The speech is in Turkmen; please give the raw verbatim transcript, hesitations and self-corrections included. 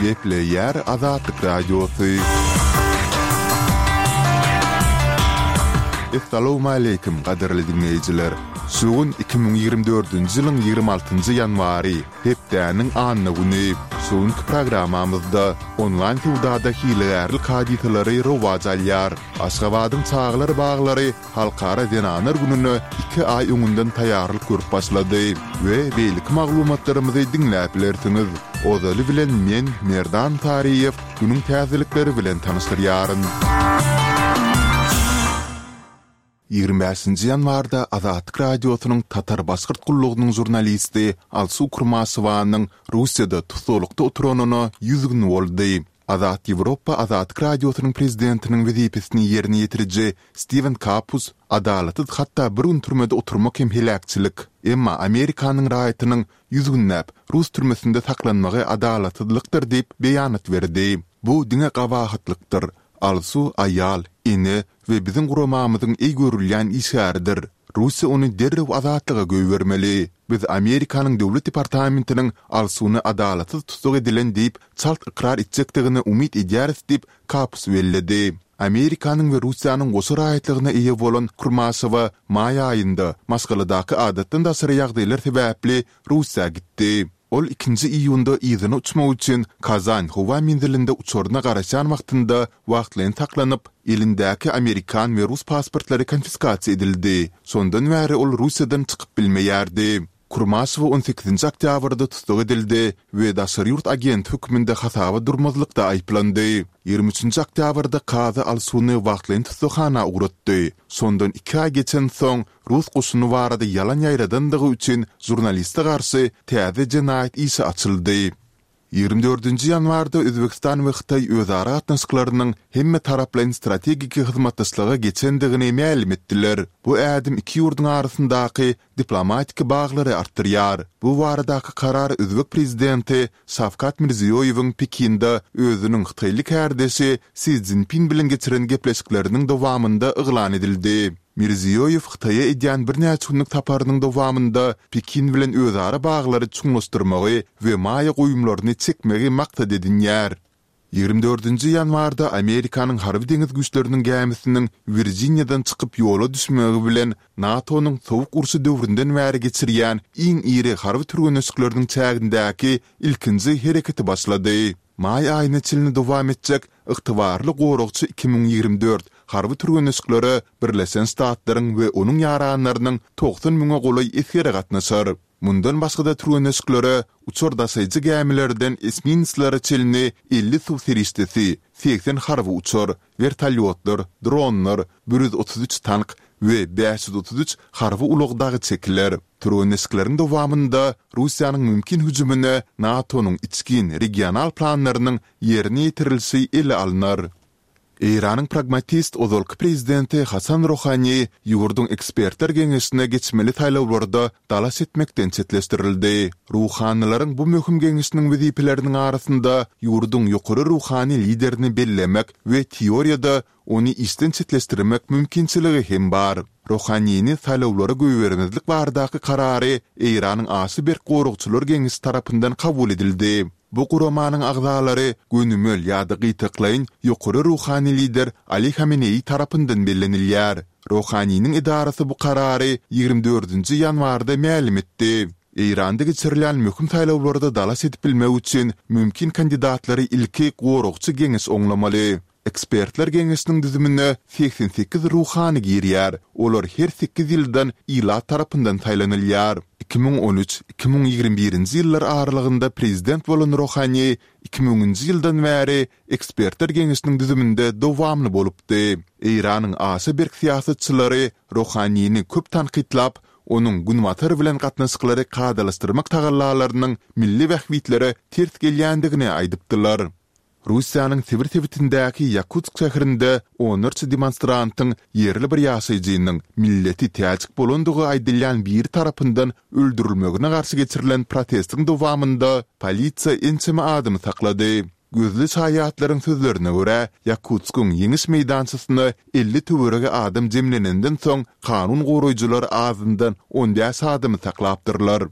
Gepleýär Azatlyk Radiosy. Essalawmaleýkim, gadyrly diňleýjiler! Şu gün iki müň ýigrimi dördünji ýylyň ýigrimi altynjy ýanwary, hepdäniň anna güni. Şu günki programmamyzda onlaýn söwdada hilegärlik hadysalary rowaç alýar. Aşgabadyň çagalar baglary Halkara zenanlar gününe iki aý öňünden taýýarlyk görüp başlady we beýleki maglumatlarymyzy diňläp bilersiňiz. Ozaly bilen men, Merdan Saryýew, günüň täzelikleri bilen tanyşdyrýaryn. Ýigrimi bäşinji ýanwarda Azatlyk Radiosynyň Tatar-Başgyrt gullugynyň žurnalisti Alsu Kurmaşewanyň Russiýada tussaglykda oturanyna ýüz gün boldy. Azat Ýewropa Azatlyk Radiosynyň prezidentiniň wezipesini ýerine ýetiriji Stiwen Kapus, Adalatsyz hatda bir gün türmede oturmak hem heläkçilik. Emma Amerikanyň raýatynyň ýüz günläp rus türmesinde saklanmagy adalatsyzlykdyr diýip beýanat berdi. Bu diňe gabahatlykdyr. Alsu aýal, ene we biziň guramamyzyň eý görülýän işgäridir. Russiýa ony derrew azatlyga goýbermeli. Biz Amerikanyň Döwlet departamentiniň Alsuny adalatsyz tussag edilen diýip çalt ykrar etjekdigine umyt edýäris diýip, Kapus belledi. Amerikanyň we Russiýanyň goşa raýatlygyna eýe bolan Kurmaşewa maý aýynda maşgaladaky adatdan daşary ýagdaýlar sebäpli Russiýa gitdi. Ol ikinji iýunda yzyna uçmak üçin Kazan howa menzilinde uçaryna garaşýan wagtynda wagtlaýyn saklanyp, elindäki amerikan we rus pasportlary konfiskasiýa edildi. Şondan bäri ol Russiýadan çykyp bilmeýärdi. Kurmaşewa on sekizinji oktýabrda tussag edildi we daşary ýurt agenti hökmünde hasaba durmazlykda aýyplandy. Ýigrimi üçünji oktýabrda kazy Alsuny wagtlaýyn tussaghana ugratdy. Şondan iki aý geçensoň, rus goşuny barada ýalan ýaýradandygy üçin žurnaliste garşy täze jenaýat işi açyldy. Ýigrimi dördünji ýanwarda Özbegistan we Hytaý özara gatnaşyklarynyň hemmetaraplaýyn strategik hyzmatdaşlyga geçendigini mälim etdiler. Bu ädim iki ýurduň arasyndaky diplomatik baglary artdyrýar. Bu baradaky karar özbek prezidenti Şawkat Mirziýoýewiň Pekinde özüniň hytaýly kärdeşi Si Szinpin bilen geçiren gepleşikleriniň dowamynda yglan edildi. Mirziýoýew Hytaýa edýän birnäçe günlük saparynyň dowamynda Pekin bilen özara baglary çuňlaşdyrmagy we maýa goýumlaryny çekmegi maksat edinýär. Ýigrimi dördünji ýanwarda Amerikanyň Harby-deňiz güýçleriniň gämisiniň Wirjiniýadan çykyp ýola düşmegi bilen NATO-nyň Sowuk urşy döwründen bäri geçirýän iň iri harby türgenleşikleriniň çägindäki ilkinji hereketi başlady. Maý aýyna çenli dowam etjek Ygtybarly goragçy iki müň ýigrimi dört harby türgenleşiklere Birleşen Ştatlaryň we onuň ýaranlarynyň togsan müňe golaý esgeri gatnaşar. Mundan başga-da türgenleşiklere uçar daşaýjy gämilerden esminslere çenli elli suw serişdesi, segsen harby uçar, wertolýotlar, dronlar, bir ýüz otuz üç tank we bäş ýüz otuz üç harby ulag dagy çekiler. Türgenleşikleriň dowamynda Russiýanyň mümkin hüjümine NATO-nyň içgin regional planlarynyň ýerine ýetirilişi ele alnar. Eýranyň pragmatist ozalky prezidenti Hasan Rohani ýurduň ekspertler geňeşine geçmeli saýlawlarda dalaş etmekden çetleşdirildi. Ruhanylaryň bu möhüm geňeşiniň wezipeleriniň arasynda ýurduň ýokary ruhany liderini bellemek we teoriýada ony işden çetleşdirmek mümkinçiligi hem bar. Rohanini saýlawlara goýbermezlik baradaky karary Eýranyň aşa berk goragçylar geňeşi tarapyndan kabul edildi. Bu guramanyň agzalary gönümel ýa-da gytaklaýyn ýokary ruhany lider Ali Hameneýi tarapyndan bellenilýär. Rohaniniň edarasy bu karary ýigrimi dördünji ýanwarda mälim etdi. Eýranda geçirilýän möhüm saýlawlarda dalaş edip bilmek üçin mümkin kandidatlary ilki goragçy geňeş oňlamaly. Ekspertler geňeşiniň düzümine segsen sekiz ruhany girýär, olar her sekiz ýyldan ilat tarapyndan saýlanylýar. Iki müň on üç, iki müň ýigrimi birinji ýyllar aralygynda prezident bolan Rohani iki müňünji ýyldan bäri Ekspertler geňeşiniň düzüminde dowamly bolupdy. Eýranyň aşa berk syýasatçylary Rohanini köp tankytlap, onuň Günbatar bilen gatnaşyklary kadalaşdyrmak tagallalarynyň milli bähbitlere ters gelýändigini aýdypdylar. Russiýanyň Sibir sebitindäki Ýakutsk şäherinde onlarça demonstrantyň ýerli bir ýaşaýjynyň milleti täjik bolandygy aýdylýan biri tarapyndan öldürilmegine garşy geçirilen protestiň dowamynda polisiýa ençeme adamy saklady. Gözli şaýatlaryň sözlerine görä, Ýakutskyň Ýeňiş meýdançasyna elli töweregi adam jemlenenden soň kanun goraýjylar azyndan on bäş adamy saklapdyrlar.